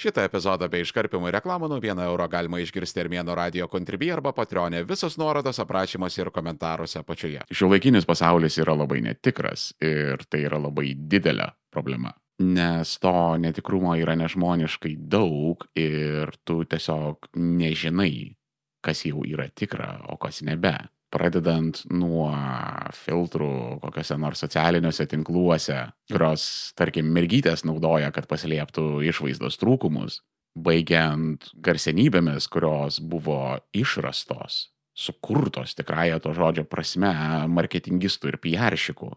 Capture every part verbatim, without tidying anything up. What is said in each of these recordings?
Šitą epizodą bei iškarpimų reklamų nuo vieno euro galima išgirsti Armėno radio Contribui arba Patreonė. Visos nuorodos aprašymuose ir komentaruose apačioje. Šiuolaikinis pasaulis yra labai netikras ir tai yra labai didelė problema. Nes to netikrumo yra nežmoniškai daug ir tu tiesiog nežinai, kas jau yra tikra, o kas nebe. Pradedant nuo filtrų kokiuose nors socialiniuose tinkluose, kurios, tarkim, mergytės naudoja, kad paslėptų išvaizdos trūkumus, baigiant garsenybėmis, kurios buvo išrastos, sukurtos tikrąja to žodžio prasme marketingistų ir piaršikų.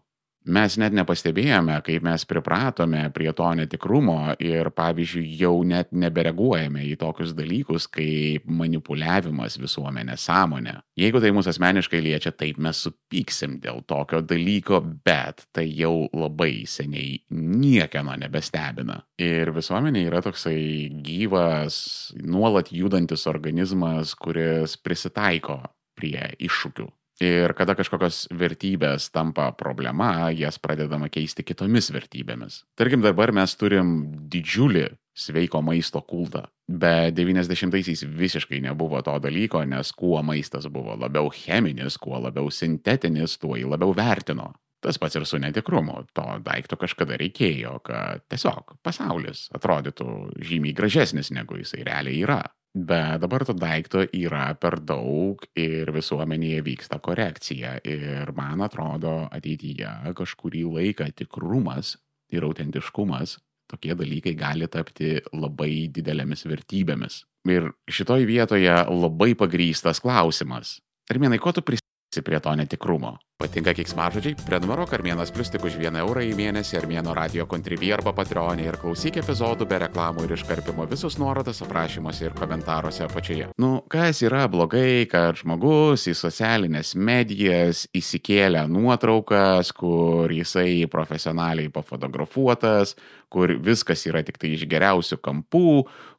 Mes net nepastebėjome, kaip mes pripratome prie to netikrumo ir, pavyzdžiui, jau net nebereaguojame į tokius dalykus kaip manipuliavimas visuomenės sąmonė. Jeigu tai mūsų asmeniškai liečia, taip mes supyksim dėl tokio dalyko, bet tai jau labai seniai niekieno nebestebina. Ir visuomenė yra toksai gyvas, nuolat judantis organizmas, kuris prisitaiko prie iššūkių. Ir kada kažkokios vertybės tampa problema, jas pradedama keisti kitomis vertybėmis. Tarkim, dabar mes turim didžiulį sveiko maisto kultą. Bet devyniasdešimtaisiais visiškai nebuvo to dalyko, nes kuo maistas buvo labiau cheminis, kuo labiau sintetinis, tuo jį labiau vertino. Tas pats ir su netikrumu. To daikto kažkada reikėjo, kad tiesiog pasaulis atrodytų žymiai gražesnis, negu jisai realiai yra. Bet dabar to daikto yra per daug ir visuomenėje vyksta korekcija. Ir man atrodo, ateityje kažkurį laiką tikrumas ir autentiškumas, tokie dalykai gali tapti labai didelėmis vertybėmis. Ir šitoj vietoje labai pagrįstas klausimas. Armėnai, ko tu prisimeni prie to netikrumo? Patinka keiksmažodžiai? Prenumeruok Armėnas Plius tik už vieną eurą į mėnesį Armėno radio Contribui arba Patreonė ir klausyk epizodų be reklamų ir iškarpimo. Visus nuorodas aprašymuose ir komentaruose apačioje. Nu, kas yra blogai, kad žmogus į socialinės medijas įsikėlė nuotraukas, kur jisai profesionaliai pafotografuotas, kur viskas yra tik tai iš geriausių kampų,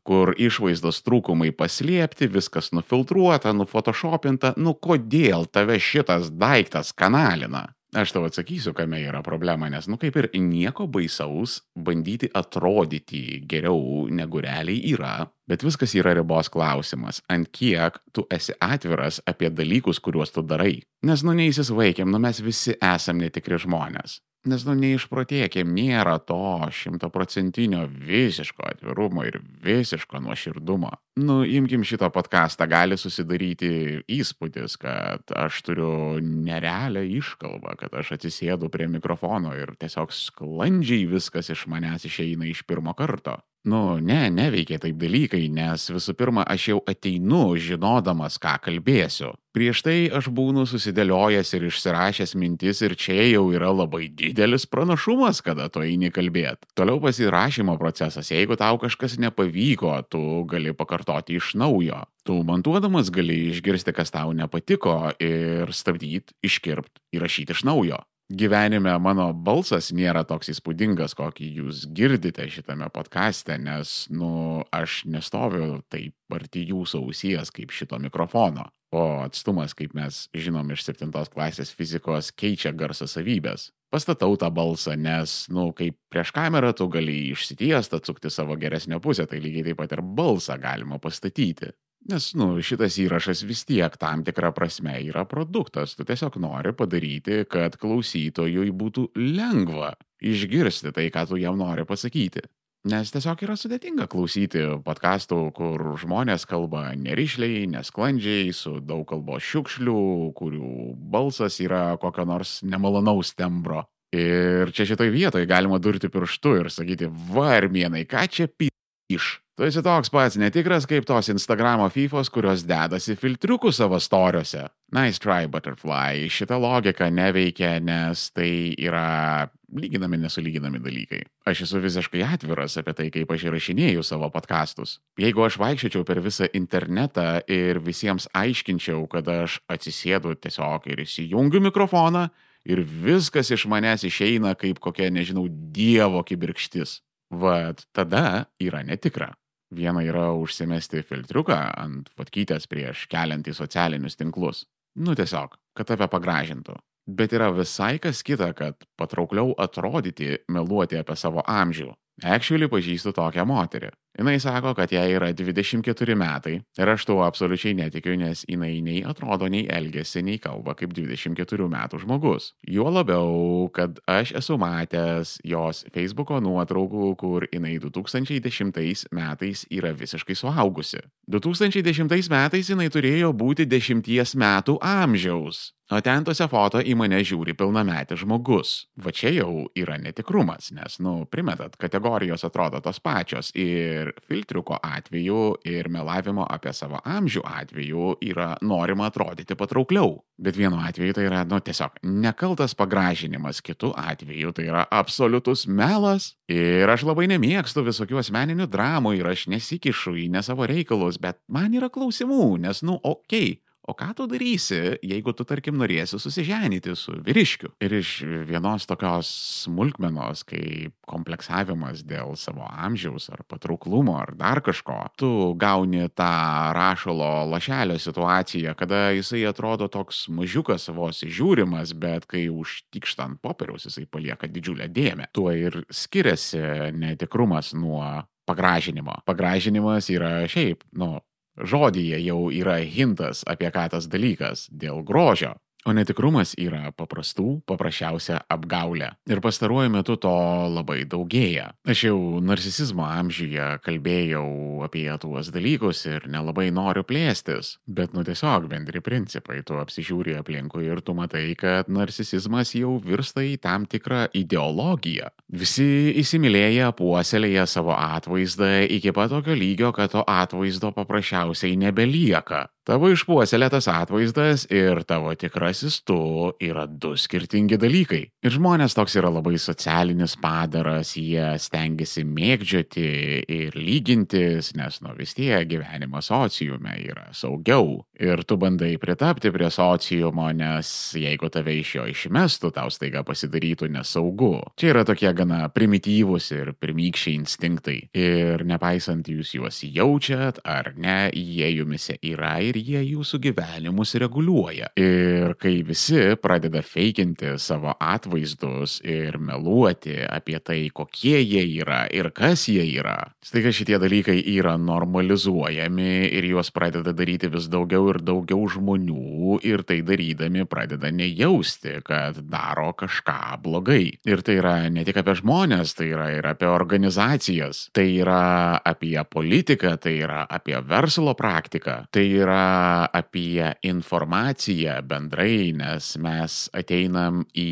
kur išvaizdos trūkumai paslėpti, viskas nufiltruota, nufotoshopinta. Nu, kodėl tave šitas daiktas kanalina? Aš tau atsakysiu, kame yra problema, nes, nu, kaip ir nieko baisaus bandyti atrodyti geriau negu realiai yra, bet viskas yra ribos klausimas, ant kiek tu esi atviras apie dalykus, kuriuos tu darai. Nes, nu, neįsisvaikim, nu, mes visi esam netikri žmonės. Nes, nu, neišprotėkim, nėra to šimtaprocentinio visiško atvirumo ir visiško nuoširdumo. Nu, imkim šitą podcastą, gali susidaryti įspūdis, kad aš turiu nerealią iškalbą, kad aš atsisėdu prie mikrofono ir tiesiog sklandžiai viskas iš manęs išeina iš pirmo karto. Nu, ne, neveikia taip dalykai, nes visų pirma, aš jau ateinu žinodamas, ką kalbėsiu. Prieš tai aš būnu susidėliojęs ir išsirašęs mintis ir čia jau yra labai didelis pranašumas, kada tu eini kalbėt. Toliau pasirašymo procesas, jeigu tau kažkas nepavyko, tu gali pakartoti iš naujo. Tu montuodamas gali išgirsti, kas tau nepatiko ir stabdyti, iškirpt, įrašyti iš naujo. Gyvenime mano balsas nėra toks įspūdingas, kokį jūs girdite šitame podcaste, nes, nu, aš nestoviu taip arti jūsų ausies kaip šito mikrofono. O atstumas, kaip mes žinom iš septintos klasės fizikos, keičia garso savybės. Pastatau tą balsą, nes, nu, kaip prieš kamerą tu gali išsitiest, atsukti savo geresnę pusę, tai lygiai taip pat ir balsą galima pastatyti. Nes, nu, šitas įrašas vis tiek tam tikrą prasme yra produktas. Tu tiesiog nori padaryti, kad klausytojui būtų lengva išgirsti tai, ką tu jam nori pasakyti. Nes tiesiog yra sudėtinga klausyti podcastų, kur žmonės kalba nerišliai, nesklandžiai, su daug kalbos šiukšlių, kurių balsas yra kokio nors nemalonaus tembro. Ir čia šitoj vietoj galima durti pirštu ir sakyti, va, Armėnai, ką čia p***iš? Tu esi toks pats netikras kaip tos Instagramo fifos, kurios dedasi filtriukų savo storiuose. Nice try, butterfly. Šita logika neveikia, nes tai yra lyginami nesulyginami dalykai. Aš esu visiškai atviras apie tai, kaip aš įrašinėju savo podcastus. Jeigu aš vaikščiočiau per visą internetą ir visiems aiškinčiau, kad aš atsisėdu tiesiog ir įsijungiu mikrofoną ir viskas iš manęs išeina kaip kokia, nežinau, dievo kibirkštis. Vat tada yra netikra. Viena yra užsimesti filtriuką ant fotkytės prieš keliant į socialinius tinklus. Nu tiesiog, kad tave pagražintų. Bet yra visai kas kita, kad patraukliau atrodyti, meluoti apie savo amžių. Actually pažįstu tokią moterį. Jinai sako, kad jai yra dvidešimt keturi metai ir aš tuo absoliučiai netikiu, nes jinai nei atrodo, nei elgesi, nei kalba kaip dvidešimt keturių metų žmogus. Juo labiau, kad aš esu matęs jos Facebooko nuotraukų, kur jinai du tūkstančiai dešimtais metais yra visiškai suaugusi. du tūkstančiai dešimtais metais jinai turėjo būti dešimties metų amžiaus. O ten tose foto į mane žiūri pilnametis žmogus. Va čia jau yra netikrumas, nes, nu, primetat, kategorijos atrodo tos pačios ir filtriuko atveju ir melavimo apie savo amžių atveju yra norima atrodyti patraukliau. Bet vienu atveju tai yra, nu, tiesiog nekaltas pagražinimas, kitu atveju tai yra absoliutus melas. Ir aš labai nemėgstu visokių asmeninių dramų ir aš nesikišu į ne savo reikalus, bet man yra klausimų, nes, nu, okei. Okay. O ką tu darysi, jeigu tu, tarkim, norėsi susiženyti su vyriškiu? Ir iš vienos tokios smulkmenos, kaip kompleksavimas dėl savo amžiaus ar patrauklumo ar dar kažko, tu gauni tą rašalo lašelio situaciją, kada jisai atrodo toks mažiukas vos žiūrimas, bet kai užtikšta ant popieriaus, jisai palieka didžiulę dėmę. Tuo ir skiriasi netikrumas nuo pagražinimo. Pagražinimas yra šiaip, nu, žodyje jau yra hintas apie ką tas dalykas dėl grožio. O netikrumas yra paprastų, paprasčiausia apgaulė. Ir pastaruoju metu to labai daugėja. Aš jau narcisizmo amžiuje kalbėjau apie tuos dalykus ir nelabai noriu plėstis. Bet nu tiesiog bendri principai, tu apsižiūri aplinkui ir tu matai, kad narcisizmas jau virsta į tam tikrą ideologiją. Visi įsimylėję puoselėja savo atvaizdą iki pat tokio lygio, kad to atvaizdo paprasčiausiai nebelieka. Tavo išpuoselėtas atvaizdas ir tavo tikrasis tu yra du skirtingi dalykai. Ir žmonės toks yra labai socialinis padaras, jie stengiasi mėgdžioti ir lygintis, nes nu vis tiek gyvenimas sociume yra saugiau. Ir tu bandai pritapti prie sociumo, nes jeigu tave iš jo išmestų, tau staiga pasidarytų nesaugu. Čia yra tokie gana primityvūs ir pirmykščiai instinktai. Ir nepaisant jūs juos jaučiat ar ne, jie jumise yra ir jie jūsų gyvenimus reguliuoja. Ir kai visi pradeda feikinti savo atvaizdus ir meluoti apie tai, kokie jie yra ir kas jie yra, staiga šitie dalykai yra normalizuojami ir juos pradeda daryti vis daugiau ir daugiau žmonių ir tai darydami pradeda nejausti, kad daro kažką blogai. Ir tai yra ne tik apie žmonės, tai yra ir apie organizacijas, tai yra apie politiką, tai yra apie verslo praktiką, tai yra apie informaciją bendrai, nes mes ateinam į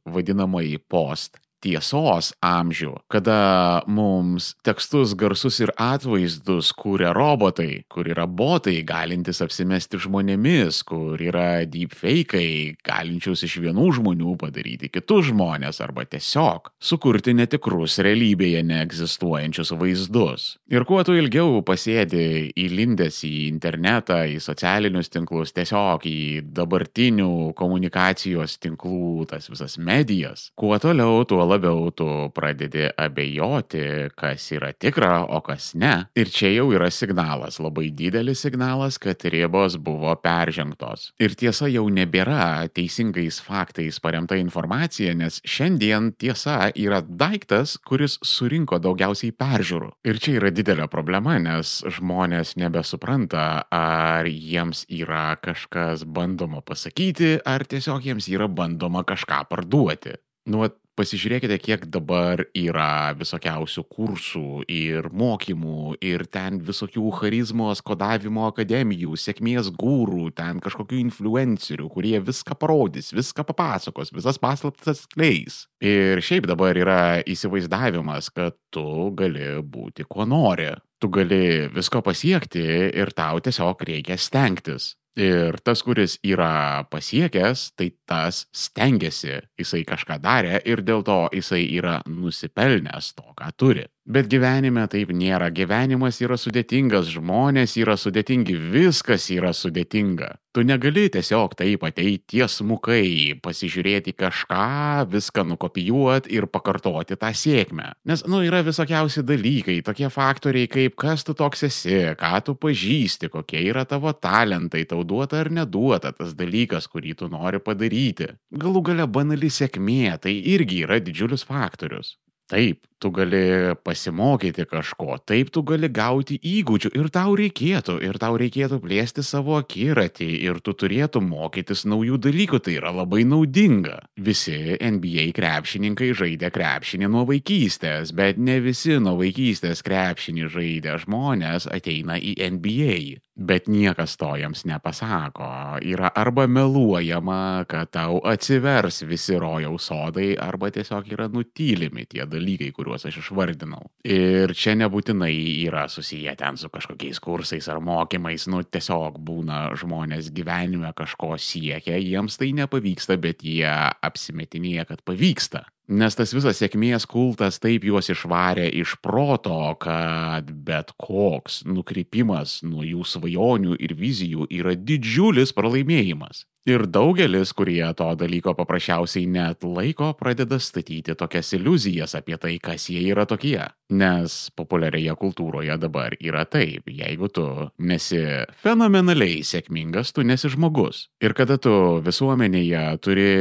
vadinamąjį post tiesos amžių, kada mums tekstus, garsus ir atvaizdus kūrė robotai, kur yra botai galintys apsimesti žmonėmis, kur yra deepfake'ai galinčius iš vienų žmonių padaryti kitus žmonės arba tiesiog sukurti netikrus realybėje neegzistuojančius vaizdus. Ir kuo tu ilgiau pasėdi įlindęs į internetą, į socialinius tinklus, tiesiog į dabartinių komunikacijos tinklų tas visas medijas, kuo toliau, tuo labiau tu pradedi abejoti, kas yra tikra, o kas ne. Ir čia jau yra signalas, labai didelis signalas, kad ribos buvo peržengtos. Ir tiesa jau nebėra teisingais faktais paremta informacija, nes šiandien tiesa yra daiktas, kuris surinko daugiausiai peržiūrų. Ir čia yra didelė problema, nes žmonės nebesupranta, ar jiems yra kažkas bandoma pasakyti, ar tiesiog jiems yra bandoma kažką parduoti. Nu, pasižiūrėkite, kiek dabar yra visokiausių kursų ir mokymų ir ten visokių charizmos, kodavimo akademijų, sėkmės gūrų, ten kažkokių influencerių, kurie viską parodys, viską papasakos, visas paslaptis atskleis. Ir šiaip dabar yra įsivaizdavimas, kad tu gali būti kuo nori. Tu gali visko pasiekti ir tau tiesiog reikia stengtis. Ir tas, kuris yra pasiekęs, tai tas stengiasi, jisai kažką darė ir dėl to jisai yra nusipelnęs to, ką turi. Bet gyvenime taip nėra. Gyvenimas yra sudėtingas, žmonės yra sudėtingi, viskas yra sudėtinga. Tu negali tiesiog taip ateiti tiesmukai, pasižiūrėti kažką, viską nukopijuoti ir pakartoti tą sėkmę. Nes, nu, yra visokiausi dalykai, tokie faktoriai kaip kas tu toks esi, ką tu pažįsti, kokie yra tavo talentai, tau duota ar neduota tas dalykas, kurį tu nori padaryti. Galų gale banali sėkmė, tai irgi yra didžiulis faktorius. Taip, tu gali pasimokyti kažko, taip tu gali gauti įgūdžių ir tau reikėtų, ir tau reikėtų plėsti savo akiratį ir tu turėtum mokytis naujų dalykų, tai yra labai naudinga. Visi N B A krepšininkai žaidė krepšinį nuo vaikystės, bet ne visi nuo vaikystės krepšinį žaidę žmonės ateina į N B A. Bet niekas to jiems nepasako. Yra arba meluojama, kad tau atsivers visi rojaus sodai, arba tiesiog yra nutylimi tie dalykai, kuriuos aš išvardinau. Ir čia nebūtinai yra susiję ten su kažkokiais kursais ar mokymais, nu tiesiog būna žmonės gyvenime kažko siekia, jiems tai nepavyksta, bet jie apsimetinėja, kad pavyksta. Nes tas visas sėkmės kultas taip juos išvarė iš proto, kad bet koks nukrypimas nuo jų svajonių ir vizijų yra didžiulis pralaimėjimas. Ir daugelis, kurie to dalyko paprasčiausiai net laiko, pradeda statyti tokias iliuzijas apie tai, kas jie yra tokie. Nes populiarioje kultūroje dabar yra taip, jeigu tu nesi fenomenaliai sėkmingas, tu nesi žmogus. Ir kada tu visuomenėje turi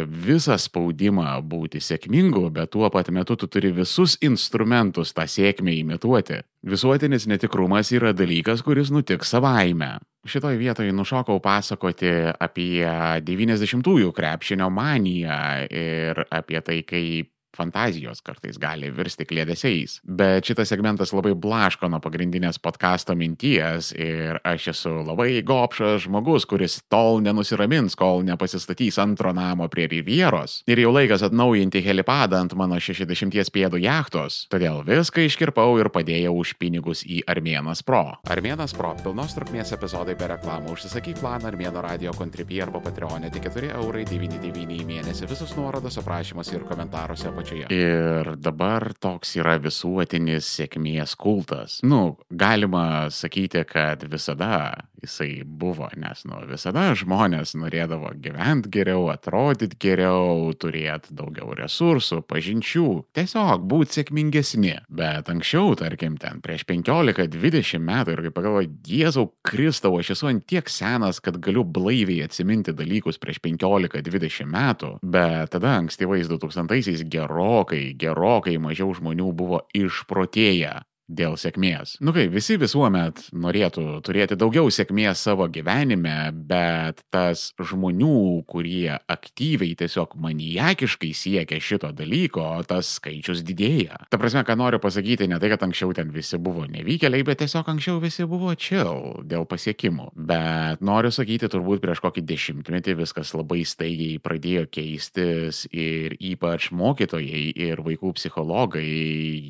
visą spaudimą būti sėkmingu, bet tuo pat metu tu turi visus instrumentus tą sėkmę imituoti. Visuotinis netikrumas yra dalykas, kuris nutiks savaime. Šitoj vietoje nušokau pasakoti apie devyniasdešimtųjų krepšinio maniją ir apie tai, kaip fantazijos kartais gali virsti kliedesiais. Bet šitas segmentas labai blaško nuo pagrindinės podcasto minties ir aš esu labai gobšas žmogus, kuris tol nenusiramins, kol nepasistatys antro namo prie Rivieros. Ir jau laikas atnaujinti helipadą ant mano šešiasdešimties pėdų jachtos. Todėl viską iškirpau ir padėjau už pinigus į Armėnas Pro. Armėnas Pro – pilnos trukmės epizodai be reklamų. Užsisakyk planą Armėno radio Contribui arba Patreone tik keturi eurai devyniasdešimt devyni į mėnesį. Visus nuorodos aprašymuose ir komentaruose apačioje. Ir dabar toks yra visuotinis sėkmės kultas. Nu, galima sakyti, kad visada jisai buvo, nes, nu, visada žmonės norėdavo gyventi geriau, atrodyti geriau, turėti daugiau resursų, pažinčių, tiesiog būti sėkmingesni. Bet anksčiau, tarkim, ten prieš penkiolika dvidešimt metų ir kaip pagalvoju, Jėzau Kristau, aš esu ant tiek senas, kad galiu blaiviai atsiminti dalykus prieš penkiolika dvidešimt metų, bet tada ankstyvais du tūkstantaisiais gerokai, gerokai mažiau žmonių buvo išprotėję dėl sėkmės. Nu kai, visi visuomet norėtų turėti daugiau sėkmės savo gyvenime, bet tas žmonių, kurie aktyviai tiesiog maniakiškai siekia šito dalyko, tas skaičius didėja. Ta prasme, ką noriu pasakyti, ne tai, kad anksčiau ten visi buvo nevykėliai, bet tiesiog anksčiau visi buvo chill dėl pasiekimų. Bet noriu sakyti, turbūt prieš kokį dešimtmetį viskas labai staigiai pradėjo keistis ir ypač mokytojai ir vaikų psichologai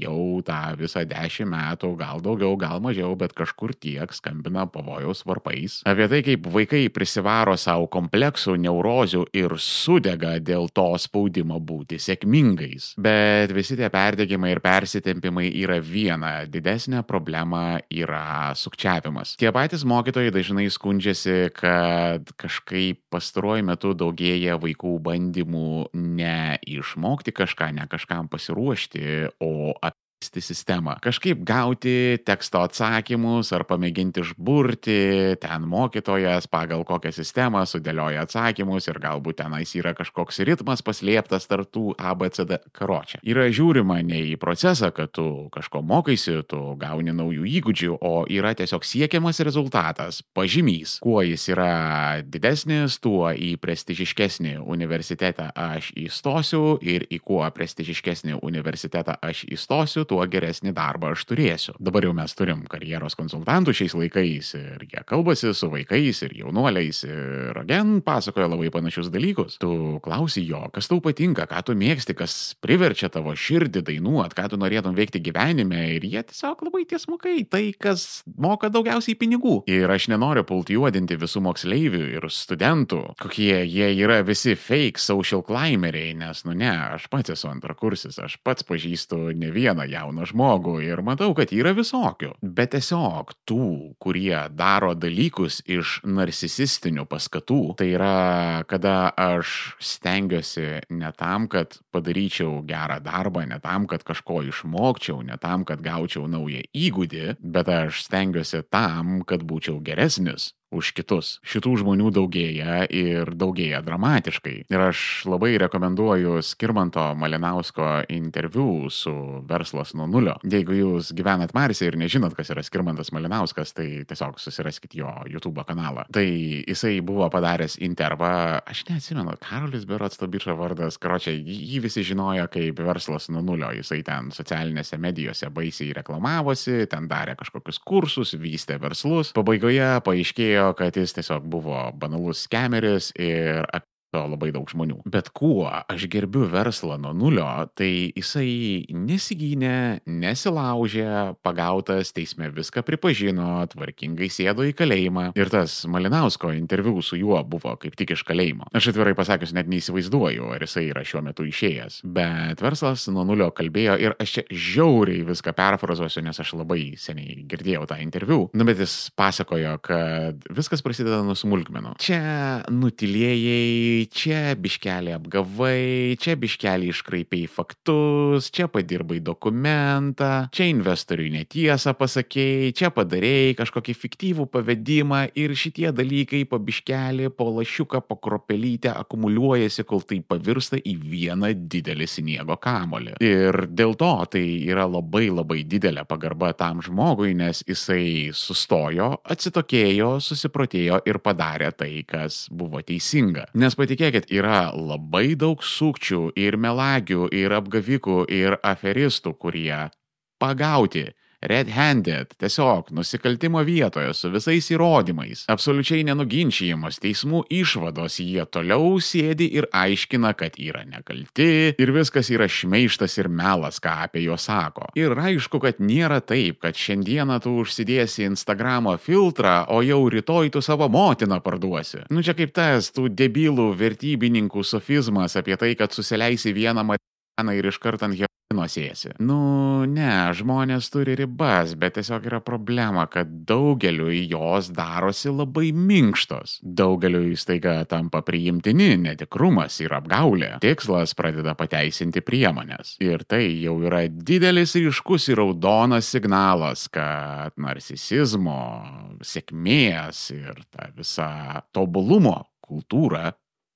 jau tą visą dešimt metų, gal daugiau, gal mažiau, bet kažkur tiek skambina pavojaus varpais. Apie tai, kaip vaikai prisivaro savo kompleksų, neurozių ir sudega dėl to spaudimo būti sėkmingais. Bet visi tie perdegimai ir persitempimai yra viena, didesnė problema yra sukčiavimas. Tie patys mokytojai dažnai skundžiasi, kad kažkaip pastaruoju metu daugėja vaikų bandymų ne išmokti kažką, ne kažkam pasiruošti, o apie sistemą. Kažkaip gauti teksto atsakymus ar pamėginti išburti, ten mokytojas pagal kokią sistemą sudėlioja atsakymus ir galbūt tenais yra kažkoks ritmas paslėptas tarp tų A, B, C, D karočią. Yra žiūrima ne į procesą, kad tu kažko mokaisi, tu gauni naujų įgūdžių, o yra tiesiog siekiamas rezultatas, pažymys. Kuo jis yra didesnis, tuo į prestižiškesnį universitetą aš įstosiu ir į kuo prestižiškesnį universitetą aš įstosiu, tuo geresnį darbą aš turėsiu. Dabar jau mes turim karjeros konsultantų šiais laikais ir jie kalbasi su vaikais ir jaunuoliais ir again pasakoja labai panašius dalykus. Tu klausi jo, kas tau patinka, ką tu mėgsti, kas priverčia tavo širdį dainuot, ką tu norėtum veikti gyvenime ir jie tiesiog labai tiesmukai, tai kas moka daugiausiai pinigų. Ir aš nenoriu pulti juodinti visų moksleivių ir studentų, kokie jie yra visi fake social climberiai, nes nu ne, aš pats esu antrakursis, aš pats pažįstu ne vieną jauną žmogų ir matau, kad yra visokių. Bet tiesiog tų, kurie daro dalykus iš narcisistinių paskatų, tai yra, kada aš stengiuosi ne tam, kad padaryčiau gerą darbą, ne tam, kad kažko išmokčiau, ne tam, kad gaučiau naują įgūdį, bet aš stengiuosi tam, kad būčiau geresnis už kitus. Šitų žmonių daugėja ir daugėja dramatiškai. Ir aš labai rekomenduoju Skirmanto Malinausko interviu su Verslas nuo nulio. Jeigu jūs gyvenat Marse ir nežinot, kas yra Skirmantas Malinauskas, tai tiesiog susiraskit jo YouTube kanalą. Tai jisai buvo padaręs intervą, aš neatsimenu, Karolis berods to bičo vardas, karočią, jį visi žinojo kaip Verslas nuo nulio. Jisai ten socialinėse medijose baisiai reklamavosi, ten darė kažkokius kursus, vystė verslus. Pabaigoje paaiškėjo, kad jis tiesiog buvo banalus skemeris ir labai daug žmonių. Bet kuo aš gerbiu Verslą nuo nulio, tai jisai nesigynė, nesilaužė, pagautas teisme viską pripažino, tvarkingai sėdo į kalėjimą. Ir tas Malinausko interviu su juo buvo kaip tik iš kalėjimo. Aš atvirai pasakius net neįsivaizduoju, ar jisai yra šiuo metu išėjęs. Bet Verslas nuo nulio kalbėjo ir aš čia žiauriai viską perfrazuosiu, nes aš labai seniai girdėjau tą interviu. Nu, bet jis pasakojo, kad viskas prasideda nuo smulkmenų. Čia nutilėjai, čia biškelį apgavai, čia biškelį iškraipiai faktus, čia padirbai dokumentą, čia investoriui netiesą pasakėjai, čia padarėjai kažkokį fiktyvų pavedimą ir šitie dalykai po biškelį, po lašiuką, po kropelytę akumuliuojasi, kol tai pavirsta į vieną didelį sniego kamolį. Ir dėl to tai yra labai labai didelė pagarba tam žmogui, nes jisai sustojo, atsitokėjo, susiprotėjo ir padarė tai, kas buvo teisinga. Nes patikėkit, yra labai daug sukčių ir melagių, ir apgavikų, ir aferistų, kurie pagauti red-handed, tiesiog nusikaltimo vietoje su visais įrodymais, absoliučiai nenuginčijamos teismų išvados, jie toliau sėdi ir aiškina, kad yra nekalti ir viskas yra šmeižtas ir melas, ką apie juos sako. Ir aišku, kad nėra taip, kad šiandieną tu užsidėsi Instagramo filtrą, o jau rytoj tu savo motiną parduosi. Nu čia kaip tas tų debilų vertybininkų sofizmas apie tai, kad susileisi vieną marihuaną ir iškart ant heroino sėsi. Nu, ne, žmonės turi ribas, bet tiesiog yra problema, kad daugeliui jos darosi labai minkštos. Daugeliui staiga tampa priimtini netikrumas ir apgaulė. Tikslas pradeda pateisinti priemonės. Ir tai jau yra didelis ryškus ir raudonas signalas, kad narcisizmo, sėkmės ir ta visa tobulumo kultūra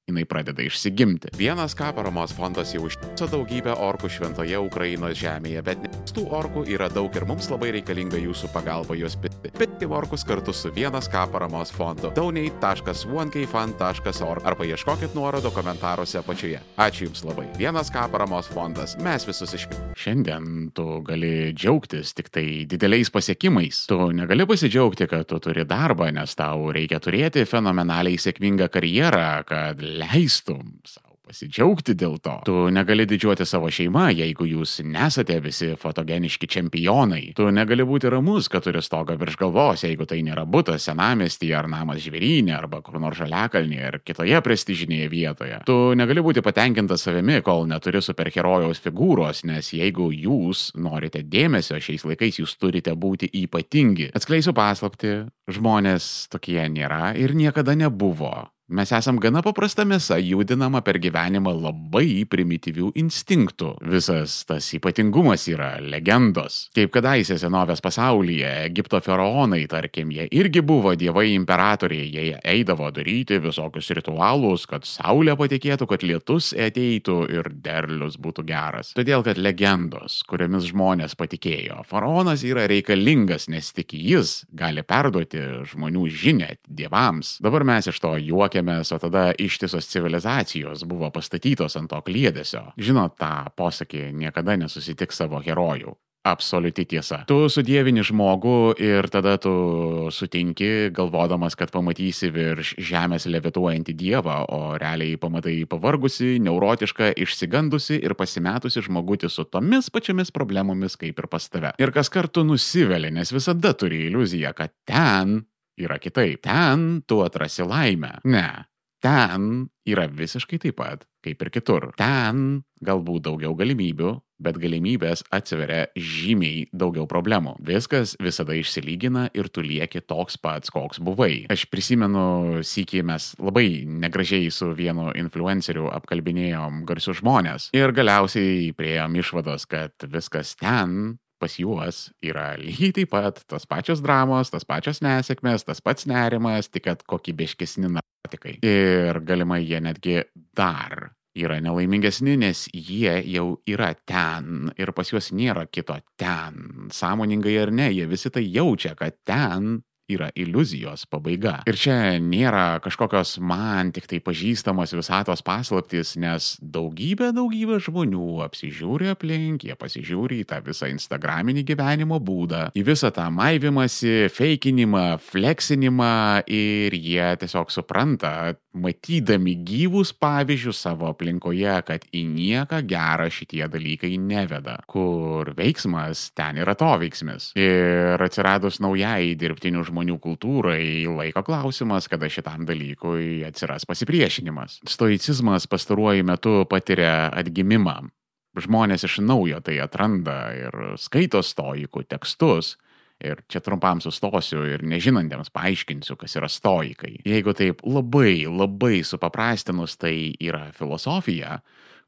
jinai pradeda išsigimti. Vienas ką paramos fondas jau užtiso daugybę orkų šventoje Ukrainos žemėje, bet tų orkų yra daug ir mums labai reikalinga jūsų pagalba juos pirkti. Pirkti orkus kartu su Vienas ką paramos fondu. donate taškas one k fund taškas org arba ieškokit nuorodo komentaruose apačioje. Ačiū Jums labai. Vienas ką paramos fondas. Mes visus išpirkime. Šiandien tu gali džiaugtis tik tai dideliais pasiekimais. Tu negali pasidžiaugti, kad tu turi darbą, nes tau reikia turėti fenomenaliai sėkmingą karjerą, kad leistum savo pasidžiaugti dėl to. Tu negali didžiuoti savo šeimą, jeigu jūs nesate visi fotogeniški čempionai. Tu negali būti ramus, kad turi stogą virš galvos, jeigu tai nėra butas senamiestyje ar namas Žvėryne arba kur nors Žaliakalnyje ar kitoje prestižinėje vietoje. Tu negali būti patenkintas savimi, kol neturi superherojaus figūros, nes jeigu jūs norite dėmesio šiais laikais, jūs turite būti ypatingi. Atskleisiu paslaptį, žmonės tokie nėra ir niekada nebuvo. Mes esam gana paprasta mėsa, judinama per gyvenimą labai primityvių instinktų. Visas tas ypatingumas yra legendos. Kaip kadaise senovės pasaulyje, Egipto faraonai, tarkim, jie irgi buvo dievai imperatoriai, jie eidavo daryti visokius ritualus, kad saulė patikėtų, kad lietus ateitų ir derlius būtų geras. Todėl, kad legendos, kuriomis žmonės patikėjo, faraonas yra reikalingas, nes tik jis gali perduoti žmonių žinią dievams. Dabar mes iš to juokiamės, o tada ištisos civilizacijos buvo pastatytos ant to kliedesio. Žinot tą posakį, niekada nesusitiks savo herojų. Absoliuti tiesa. Tu sudievini žmogų ir tada tu sutinki, galvodamas, kad pamatysi virš žemės levituojantį dievą, o realiai pamatai pavargusi, neurotišką, išsigandusi ir pasimetusi žmogutį su tomis pačiamis problemomis kaip ir pas tave. Ir kas kartu nusiveli, nes visada turi iliuziją, kad ten yra kitaip. Ten tu atrasi laimę. Ne. Ten yra visiškai taip pat, kaip ir kitur. Ten galbūt daugiau galimybių, bet galimybės atsiveria žymiai daugiau problemų. Viskas visada išsilygina ir tu lieki toks pats, koks buvai. Aš prisimenu, sykį mes labai negražiai su vienu influenceriu apkalbinėjom garsius žmonės. Ir galiausiai priėjom išvados, kad viskas ten pas juos yra lygiai taip pat tos pačios dramos, tos pačios nesėkmės, tas pats nerimas, tik kad kokybiškesni narkotikai. Ir galimai jie netgi dar yra nelaimingesni, nes jie jau yra ten ir pas juos nėra kito ten. Sąmoningai ar ne, jie visi tai jaučia, kad ten yra iliuzijos pabaiga. Ir čia nėra kažkokios man tik tai pažįstamos visatos paslaptys, nes daugybė, daugybė žmonių apsižiūri aplink, jie pasižiūri į tą visą instagraminį gyvenimo būdą, į visą tą maivimąsi, feikinimą, fleksinimą ir jie tiesiog supranta, matydami gyvus pavyzdžius savo aplinkoje, kad į nieką gerą šitie dalykai neveda, kur veiksmas ten yra to veiksmis. Ir atsiradus naujai dirbtinių žmonių kultūrai, laiko klausimas, kada šitam dalykui atsiras pasipriešinimas. Stoicizmas pastaruoju metu patiria atgimimą. Žmonės iš naujo tai atranda ir skaito stoikų tekstus. Ir čia trumpam sustosiu ir nežinantiems paaiškinsiu, kas yra stoikai. Jeigu taip labai, labai supaprastinus, tai yra filosofija,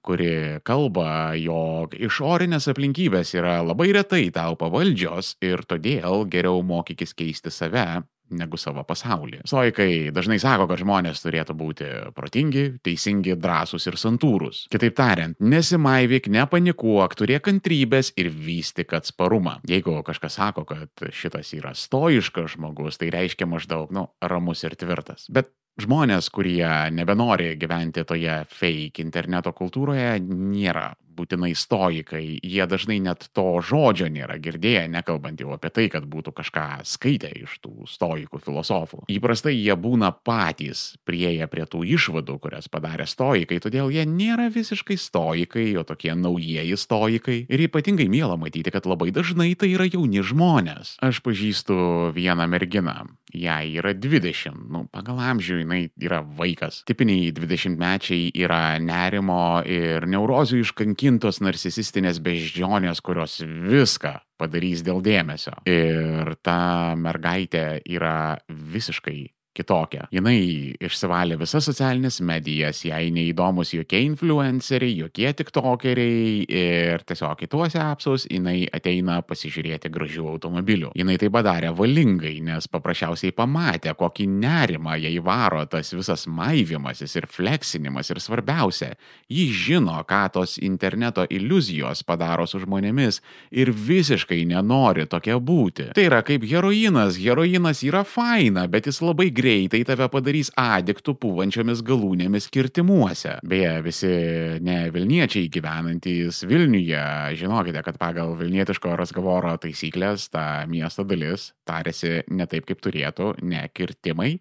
kuri kalba, jog išorinės aplinkybės yra labai retai tau pavaldžios ir todėl geriau mokykis keisti save negu savo pasaulį. Stoikai dažnai sako, kad žmonės turėtų būti protingi, teisingi, drąsūs ir santūrūs. Kitaip tariant, nesimaivyk, nepanikuok, turėk kantrybės ir vystyk atsparumą. Jeigu kažkas sako, kad šitas yra stoiškas žmogus, tai reiškia maždaug, nu, ramus ir tvirtas. Bet žmonės, kurie nebenori gyventi toje fake interneto kultūroje, nėra būtinai stoikai. Jie dažnai net to žodžio nėra girdėję, nekalbant jau apie tai, kad būtų kažką skaitę iš tų stoikų filosofų. Įprastai jie būna patys prieėję prie tų išvadų, kurias padarė stoikai, todėl jie nėra visiškai stoikai, o tokie naujieji stoikai. Ir ypatingai miela matyti, kad labai dažnai tai yra jauni žmonės. Aš pažįstu vieną merginą. Jai yra dvidešimt, nu, pagal amžių jinai yra vaikas. Tipiniai dvidešimtmečiai yra nerimo ir neurozių iškankintos narcisistinės beždžionės, kurios viską padarys dėl dėmesio. Ir ta mergaitė yra visiškai kitokia. Jinai išsivalė visas socialinės medijas, jai neįdomus jokie influenceriai, jokie tiktokeriai ir tiesiog į tuos appsus jinai ateina pasižiūrėti gražių automobilių. Jinai tai padarė valingai, nes paprasčiausiai pamatė, kokį nerimą jai varo tas visas maivimasis ir fleksinimas ir svarbiausia, ji žino, ką tos interneto iliuzijos padaro su žmonėmis ir visiškai nenori tokia būti. Tai yra kaip heroinas. Heroinas yra faina, bet jis labai greitai greitai tave padarys adiktų pūvančiomis galūnėmis kirtimuose. Beje, visi ne Vilniečiai gyvenantys Vilniuje, žinokite, kad pagal vilnietiško razgovoro taisyklės ta miesto dalis tarėsi ne taip, kaip turėtų, ne kirtimai,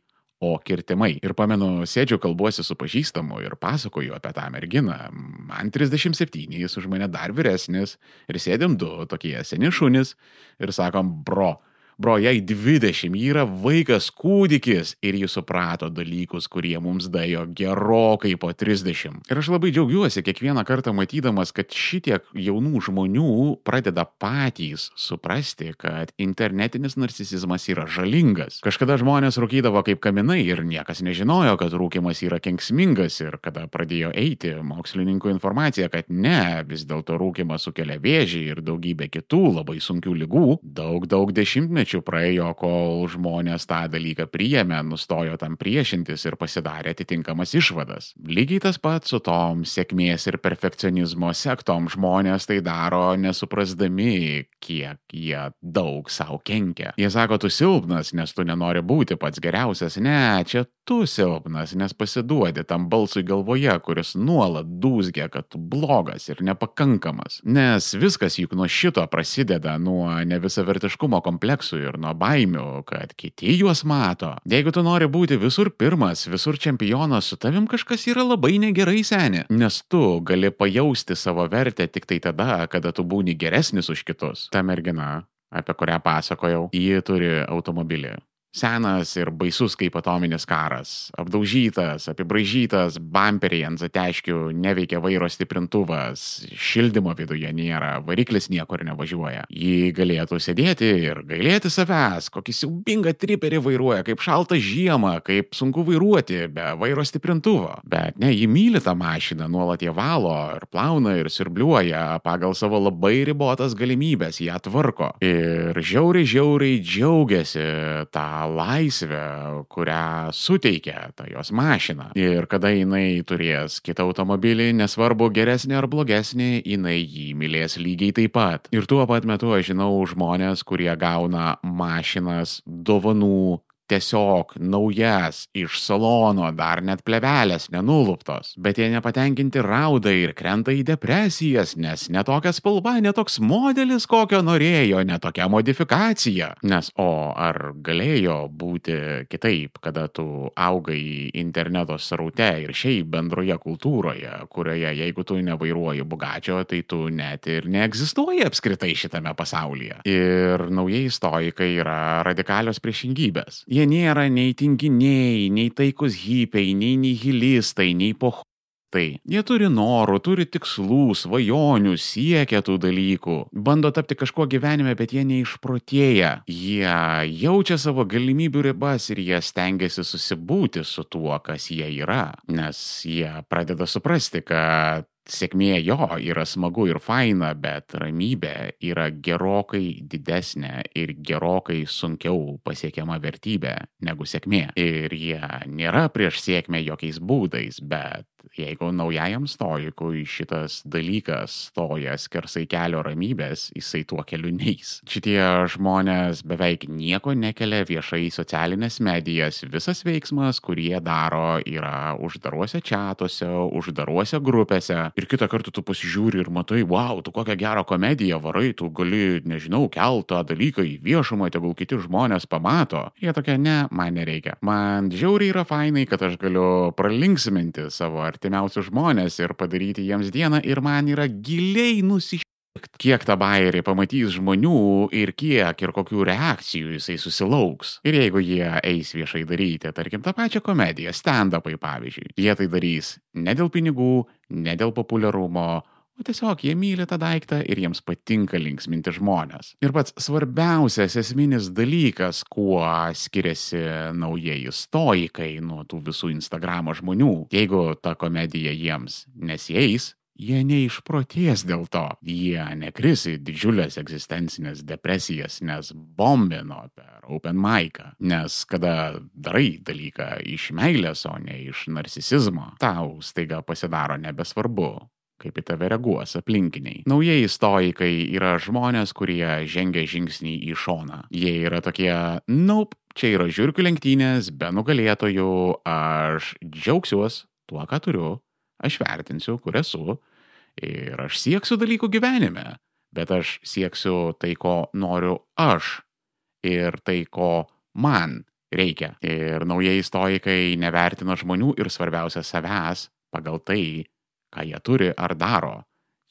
o kirtimai. Ir pamenu, sėdžiu, kalbuosi su pažįstamu ir pasakoju apie tą merginą. Man trisdešimt septyni, jis už mane dar vyresnis ir sėdėm du tokie seni šunys ir sakom, bro, Bro, jai dvidešimt, ji yra vaikas kūdikis ir ji suprato dalykus, kurie mums daėjo gerokai po trisdešimt. Ir aš labai džiaugiuosi kiekvieną kartą matydamas, kad šitiek jaunų žmonių pradeda patys suprasti, kad internetinis narcisizmas yra žalingas. Kažkada žmonės rūkydavo kaip kaminai ir niekas nežinojo, kad rūkymas yra kenksmingas ir kada pradėjo eiti mokslininkų informacija, kad ne, vis dėlto rūkymas sukelia vėžį ir daugybę kitų labai sunkių ligų, daug, daug dešimtmečių praėjo, kol žmonės tą dalyką priėmė, nustojo tam priešintis ir pasidarė atitinkamas išvadas. Lygiai tas pats su tom sėkmės ir perfekcionizmo sektom žmonės tai daro nesuprasdami, kiek jie daug savo kenkia. Jie sako, tu silpnas, nes tu nenori būti pats geriausias. Ne, čia tu silpnas, nes pasiduodi tam balsui galvoje, kuris nuolat dūzgia, kad tu blogas ir nepakankamas. Nes viskas juk nuo šito prasideda, nuo nevisavertiškumo kompleksų ir nuo baimių, kad kiti juos mato. Jeigu tu nori būti visur pirmas, visur čempionas, su tavim kažkas yra labai negerai, seni. Nes tu gali pajausti savo vertę tik tai tada, kada tu būni geresnis už kitus. Ta mergina, apie kurią pasakojau, ji turi automobilį. Senas ir baisus kaip atominis karas. Apdaužytas, apibraižytas, bamperiai ant zateškių, neveikia vairo stiprintuvas, šildymo viduje nėra, variklis niekur nevažiuoja. Jį galėtų sėdėti ir gailėti savęs, kokį siaubingą triperį vairuoja, kaip šaltą žiemą, kaip sunku vairuoti be vairo stiprintuvo. Bet ne, jį myli tą mašiną, nuolat ją valo ir plauna ir siurbliuoja, pagal savo labai ribotas galimybės ją tvarko. Ir žiauriai, žiauriai džiaugiasi tą laisvę, kurią suteikia ta jos mašina. Ir kada jinai turės kitą automobilį, nesvarbu geresnį ar blogesnį, jinai jį mylės lygiai taip pat. Ir tuo pat metu aš žinau žmonės, kurie gauna mašinas dovanų, tiesiog naujas iš salono, dar net plevelės nenuluptos. Bet jie nepatenkinti rauda ir krenta į depresijas, nes ne tokia spalva, ne toks modelis, kokio norėjo, ne tokia modifikacija. Nes o ar galėjo būti kitaip, kada tu augai interneto sraute ir šiaip bendroje kultūroje, kurioje jeigu tu nevairuoji Bugačio, tai tu net ir neegzistuoji apskritai šitame pasaulyje. Ir naujieji stoikai yra radikalios priešingybės. Jie nėra nei tinginiai, nei taikus hipiai, nei nihilistai, nei pohtai. Jie turi norų, turi tikslų, svajonių, siekia tų dalykų, bando tapti kažkuo gyvenime, bet jie neišprotėja. Jie jaučia savo galimybių ribas ir jie stengiasi susibūti su tuo, kas jie yra. Nes jie pradeda suprasti, kad sėkmė jo yra smagu ir faina, bet ramybė yra gerokai didesnė ir gerokai sunkiau pasiekiama vertybė negu sėkmė. Ir jie nėra prieš sėkmę jokiais būdais, bet jeigu naujajam stoikui šitas dalykas stoja skersai kelio ramybės, jisai tuo keliu neis. Šitie žmonės beveik nieko nekelia viešai į socialinės medijas. Visas veiksmas, kurį jie daro, yra uždaruose čatuose, uždaruose grupėse. Ir kitą kartą tu pasižiūri ir matai, wow, tu kokią gerą komediją varai, tu gali, nežinau, kelt tą dalyką į viešumą, tegul kiti žmonės pamato. Jie tokia, ne, man nereikia. Man žiauriai yra fainai, kad aš galiu pralinksminti savo artimiausius žmonės ir padaryti jiems dieną ir man yra giliai nusišėkt, kiek tą bairį pamatys žmonių ir kiek ir kokių reakcijų jisai susilauks. Ir jeigu jie eis viešai daryti, tarkim, tą pačią komediją, stand-upai pavyzdžiui, jie tai darys ne dėl pinigų, ne dėl populiarumo, o tiesiog jie myli tą daiktą ir jiems patinka linksminti žmonės. Ir pats svarbiausias esminis dalykas, kuo skiriasi naujieji stoikai nuo tų visų Instagramo žmonių, jeigu ta komedija jiems nesieis, jie neišprotės dėl to. Jie nekris į didžiulės egzistencinės depresijas, nes bombino per open mic'ą. Nes kada darai dalyką iš meilės, o ne iš narcisizmo, tau staiga pasidaro nebesvarbu, kaip į tave reaguos aplinkiniai. Naujieji stoikai yra žmonės, kurie žengia žingsnį į šoną. Jie yra tokie, nope, čia yra žiurkių lenktynės, be nugalėtojų, aš džiaugsiuos tuo, ką turiu, aš vertinsiu, kur esu, ir aš sieksiu dalykų gyvenime, bet aš sieksiu tai, ko noriu aš, ir tai, ko man reikia. Ir naujieji stoikai nevertina žmonių ir svarbiausia savęs pagal tai, ką jie turi ar daro.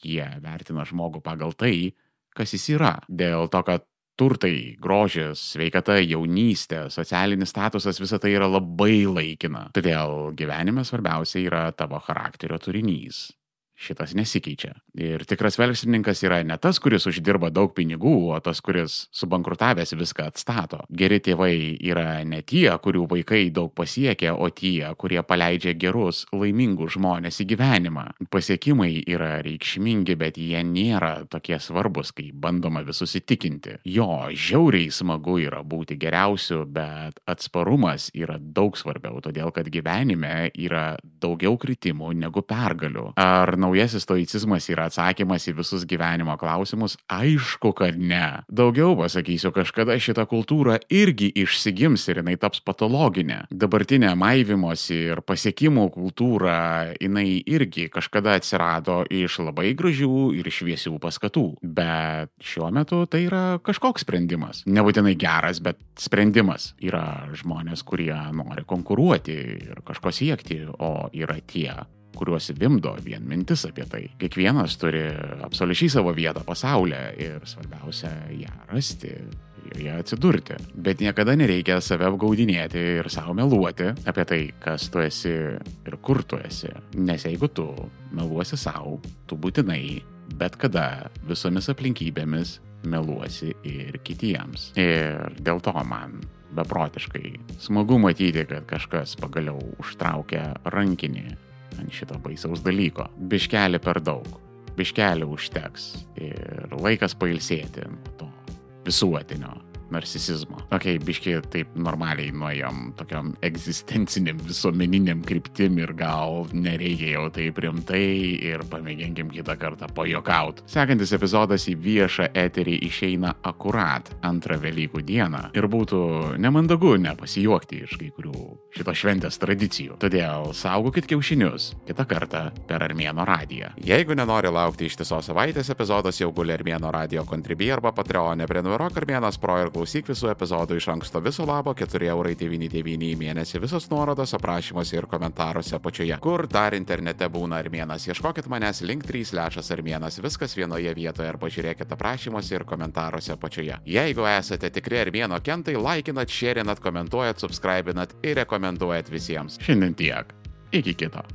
Jie vertina žmogų pagal tai, kas jis yra. Dėl to, kad turtai, grožis, sveikata, jaunystė, socialinis statusas, visa tai yra labai laikina. Todėl gyvenime svarbiausia yra tavo charakterio turinys. Šitas nesikeičia. Ir tikras verslininkas yra ne tas, kuris uždirba daug pinigų, o tas, kuris subankrutavęs viską atstato. Geri tėvai yra ne tie, kurių vaikai daug pasiekia, o tie, kurie paleidžia gerus, laimingus žmonės į gyvenimą. Pasiekimai yra reikšmingi, bet jie nėra tokie svarbus, kai bandoma visus įtikinti. Jo, žiauriai smagu yra būti geriausiu, bet atsparumas yra daug svarbiau, todėl kad gyvenime yra daugiau kritimų negu pergalių. Ar naujasis stoicizmas yra atsakymas į visus gyvenimo klausimus? Aišku, kad ne. Daugiau pasakysiu, kažkada šita kultūra irgi išsigims ir jinai taps patologinė. Dabartinė maivimosi ir pasiekimų kultūra, jinai irgi kažkada atsirado iš labai gražių ir šviesių paskatų. Bet šiuo metu tai yra kažkoks sprendimas. Nebūtinai geras, bet sprendimas. Yra žmonės, kurie nori konkuruoti ir kažko siekti, o yra tie, kuriuos vimdo vien mintis apie tai. Kiekvienas turi absoliučiai savo vietą pasaulyje ir svarbiausia ją rasti joje atsidurti. Bet niekada nereikia save apgaudinėti ir savo meluoti apie tai, kas tu esi ir kur tu esi. Nes jeigu tu meluosi savo, tu būtinai bet kada visomis aplinkybėmis meluosi ir kitiems. Ir dėl to man beprotiškai smagu matyti, kad kažkas pagaliau užtraukia rankinį ant šito baisaus dalyko. Biškelį per daug, biškelį užteks ir laikas pailsėti nuo to visuotinio narcisizmo. Ok, biškiai taip normaliai nuėjom tokiam egzistenciniam visuomeniniam kryptim ir gal nereikia jau taip rimtai ir pamėginkim kitą kartą pajuokaut. Sekantis epizodas į viešą eterį išeina akurat antrą Velykų dieną ir būtų nemandagu nepasijuokti iš kai kurių šito šventės tradicijų. Todėl saugokit kiaušinius kitą kartą per Armėno radiją. Jeigu nenori laukti ištisos savaitės, epizodas jau guli Armėno radio Contribui arba Patreone. Prenumeruok Armėnas Pro ir klausyk visų epizodų iš anksto viso labo keturi eurai devyni devyni į mėnesį. Visos nuorodos aprašymuose ir komentaruose apačioje. Kur dar internete būna Armėnas? Ieškokit manęs link trys lešas Armėnas. Viskas vienoje vietoje arba žiūrėkit aprašymuose ir komentaruose apačioje. Jeigu esate tikri Armėno kentai, laikinat, šėrinat, komentuojat, subscribinat ir rekomenduojat visiems. Šiandien tiek. Iki kito.